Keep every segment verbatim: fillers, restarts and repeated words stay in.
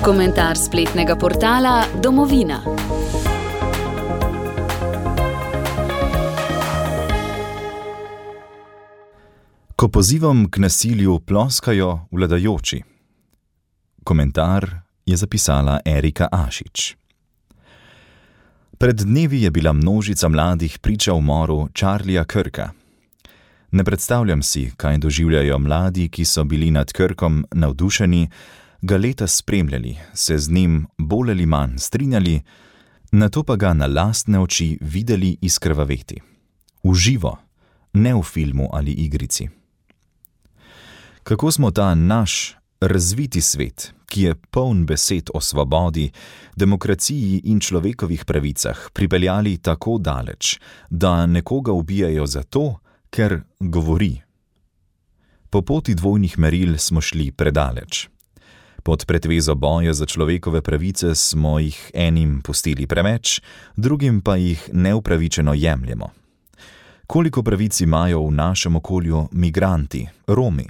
Komentar spletnega portala Domovina. Ko pozivom k nasilju ploskajo vladajoči. Komentar je zapisala Erika Ašič. Pred dnevi je bila množica mladih priča umoru Charlieja Kirka. Ne predstavljam si, kaj doživljajo mladi, ki so bili nad Kirkom navdušeni, ga leta spremljali, se z njim bolj ali manj strinjali, nato pa ga na lastne oči videli izkrvaveti. V živo, ne v filmu ali igrici. Kako smo ta naš razviti svet, ki je poln besed o svobodi, demokraciji in človekovih pravicah, pripeljali tako daleč, da nekoga ubijajo zato, ker govori. Po poti dvojnih meril smo šli predaleč. Pod pretvezo boja za človekove pravice smo jih enim pustili preveč, drugim pa jih neupravičeno jemljemo. Koliko pravic imajo v našem okolju migranti, Romi?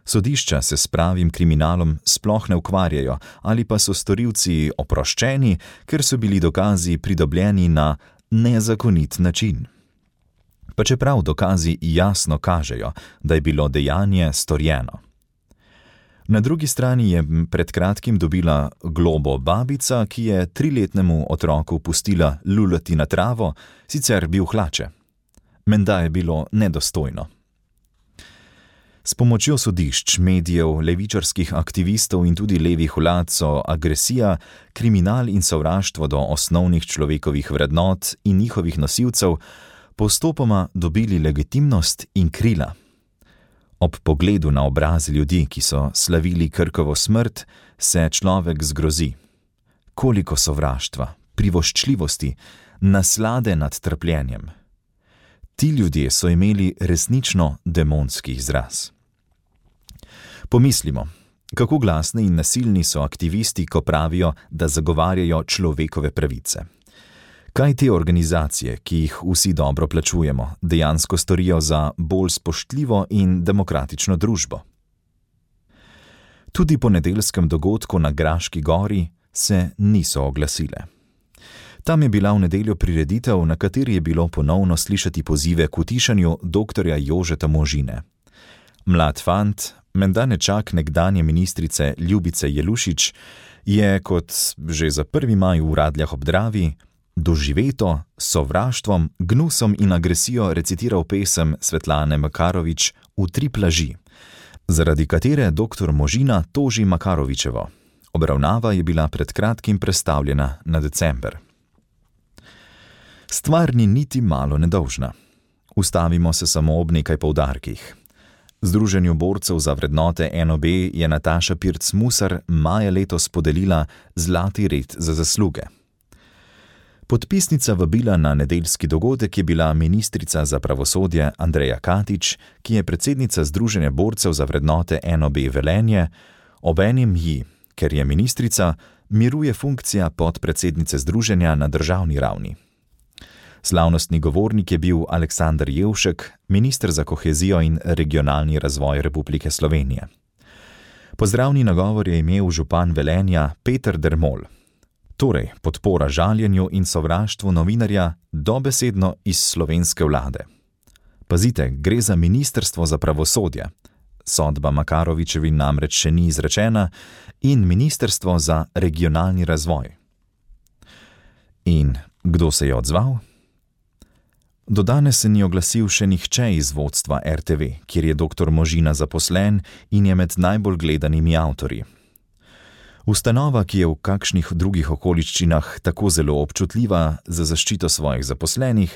Sodišča se s pravim kriminalom sploh ne ukvarjajo, ali pa so storilci oproščeni, ker so bili dokazi pridobljeni na nezakonit način. Pa čeprav dokazi jasno kažejo, da je bilo dejanje storjeno. Na drugi strani je pred kratkim dobila globo babica, ki je triletnemu otroku pustila lulati na travo, sicer bil hlače. Menda je bilo nedostojno. S pomočjo sodišč, medijev, levičarskih aktivistov in tudi levih vlad so agresija, kriminal in sovraštvo do osnovnih človekovih vrednot in njihovih nosilcev postopoma dobili legitimnost in krila. Ob pogledu na obraze ljudi, ki so slavili Kirkovo smrt, se človek zgrozi. Koliko sovraštva, privoščljivosti, naslade nad trpljenjem. Ti ljudje so imeli resnično demonski izraz. Pomislimo, kako glasni in nasilni so aktivisti, ko pravijo, da zagovarjajo človekove pravice. Kaj te organizacije, ki jih vsi dobro plačujemo, dejansko storijo za bolj spoštljivo in demokratično družbo? Tudi po nedeljskem dogodku na Graški gori se niso oglasile. Tam je bila v nedeljo prireditev, na kateri je bilo ponovno slišati pozive k utišanju doktorja Jožeta Možine. Mlad fant, menda nečak nekdanje ministrice Ljubice Jelušič, je kot že za prvi maj v Radljah ob Dravi doživeto s sovraštvom, gnusom in agresijo recitiral pesem Svetlane Makarovič V tri plaži, zaradi katere doktor Možina toži Makarovičevo. Obravnava je bila pred kratkim prestavljena na december. Stvar ni niti malo nedolžna. Ustavimo se samo ob nekaj poudarkih. Združenju borcev za vrednote N O B je Nataša Pirc Musar maja letos podelila zlati red za zasluge. Podpisnica vabila na nedeljski dogodek je bila ministrica za pravosodje Andreja Katič, ki je predsednica Združenja borcev za vrednote N O B Velenje, obenem ji, ker je ministrica, miruje funkcija podpredsednice združenja na državni ravni. Slavnostni govornik je bil Aleksander Jevšek, minister za kohezijo in regionalni razvoj Republike Slovenije. Pozdravni nagovor je imel župan Velenja Peter Dermol. Torej, podpora žaljenju in sovraštvu novinarja dobesedno iz slovenske vlade. Pazite, gre za ministrstvo za pravosodje. Sodba Makarovičevi namreč še ni izrečena in ministrstvo za regionalni razvoj. In kdo se je odzval? Do danes se ni oglasil še nihče iz vodstva R T V, kjer je doktor Možina zaposlen in je med najbolj gledanimi avtorji. Ustanova, ki je v kakšnih drugih okoliščinah tako zelo občutljiva za zaščito svojih zaposlenih,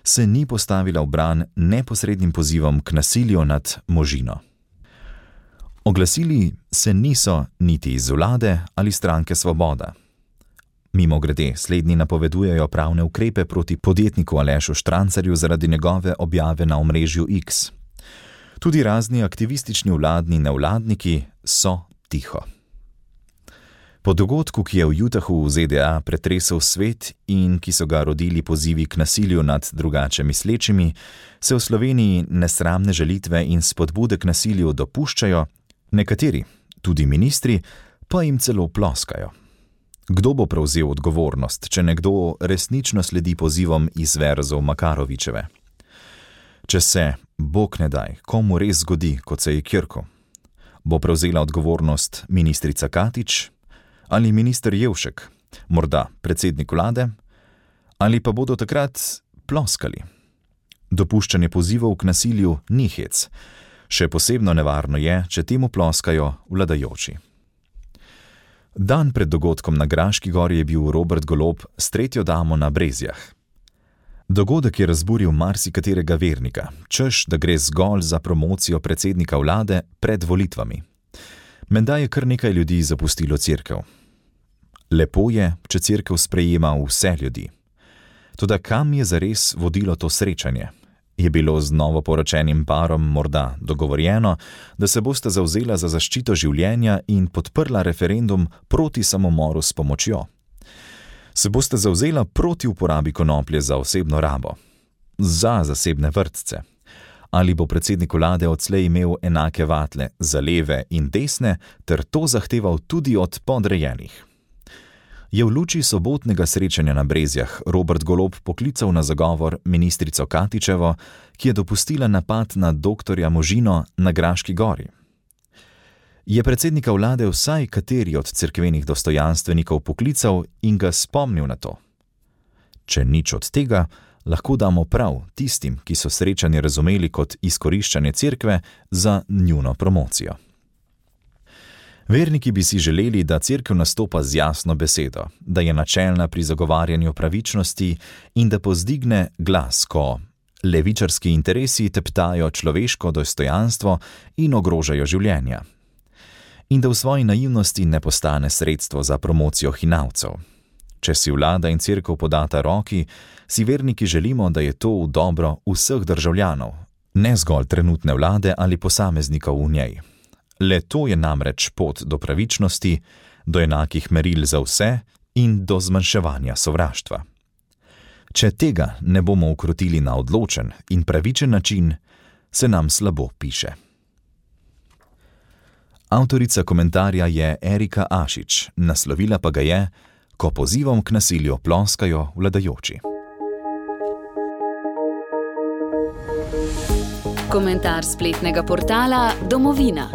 se ni postavila v bran neposrednim pozivom k nasilju nad Možino. Oglasili se niso niti iz vlade ali stranke Svoboda. Mimogrede, slednji napovedujejo pravne ukrepe proti podjetniku Alešu Štrancarju zaradi njegove objave na omrežju X. Tudi razni aktivistični vladni nevladniki so tiho. Po dogodku, ki je v Utahu v Z D A pretresel svet in ki so ga rodili pozivi k nasilju nad drugače mislečimi, se v Sloveniji nesramne žalitve in spodbude k nasilju dopuščajo, nekateri, tudi ministri, pa jim celo ploskajo. Kdo bo prevzel odgovornost, če nekdo resnično sledi pozivom iz verzov Makarovičeve? Če se, Bog ne daj, komu res zgodi, kot se je Kirku, bo prevzela odgovornost ministrica Katič ali minister Jevšek, morda predsednik vlade, ali pa bodo takrat ploskali. Dopuščanje pozivov k nasilju ni hec, še posebno nevarno je, če temu ploskajo vladajoči. Dan pred dogodkom na Graški gori je bil Robert Golob s tretjo damo na Brezjah. Dogodek je razburil marsikaterega vernika, češ, da gre zgolj za promocijo predsednika vlade pred volitvami. Menda je kar nekaj ljudi zapustilo cerkev. Lepo je, če cerkev sprejema vse ljudi. Toda kam je zares vodilo to srečanje? Je bilo z novoporočenim parom morda dogovorjeno, da se boste zavzela za zaščito življenja in podprla referendum proti samomoru s pomočjo? Se boste zavzela proti uporabi konoplje za osebno rabo? Za zasebne vrtce? Ali bo predsednik vlade odslej imel enake vatle za leve in desne ter to zahteval tudi od podrejenih? Je v luči sobotnega srečanja na Brezjah Robert Golob poklical na zagovor ministrico Katičevo, ki je dopustila napad na doktorja Možino na Graški gori? Je predsednika vlade vsaj kateri od cerkvenih dostojanstvenikov poklical in ga spomnil na to? Če nič od tega, lahko damo prav tistim, ki so srečanje razumeli kot izkoriščanje cerkve za njuno promocijo. Verniki bi si želeli, da cerkev nastopa z jasno besedo, da je načelna pri zagovarjanju pravičnosti in da povzdigne glas, ko levičarski interesi teptajo človeško dostojanstvo in ogrožajo življenja. In da v svoji naivnosti ne postane sredstvo za promocijo hinavcev. Če si vlada in cerkev podata roki, si verniki želimo, da je to v dobro vseh državljanov, ne zgolj trenutne vlade ali posameznikov v njej. Le to je namreč pot do pravičnosti, do enakih meril za vse in do zmanjševanja sovraštva. Če tega ne bomo ukrotili na odločen in pravičen način, se nam slabo piše. Avtorica komentarja je Erika Ašič, naslovila pa ga je, ko pozivom k nasilju ploskajo vladajoči. Komentar spletnega portala Domovina.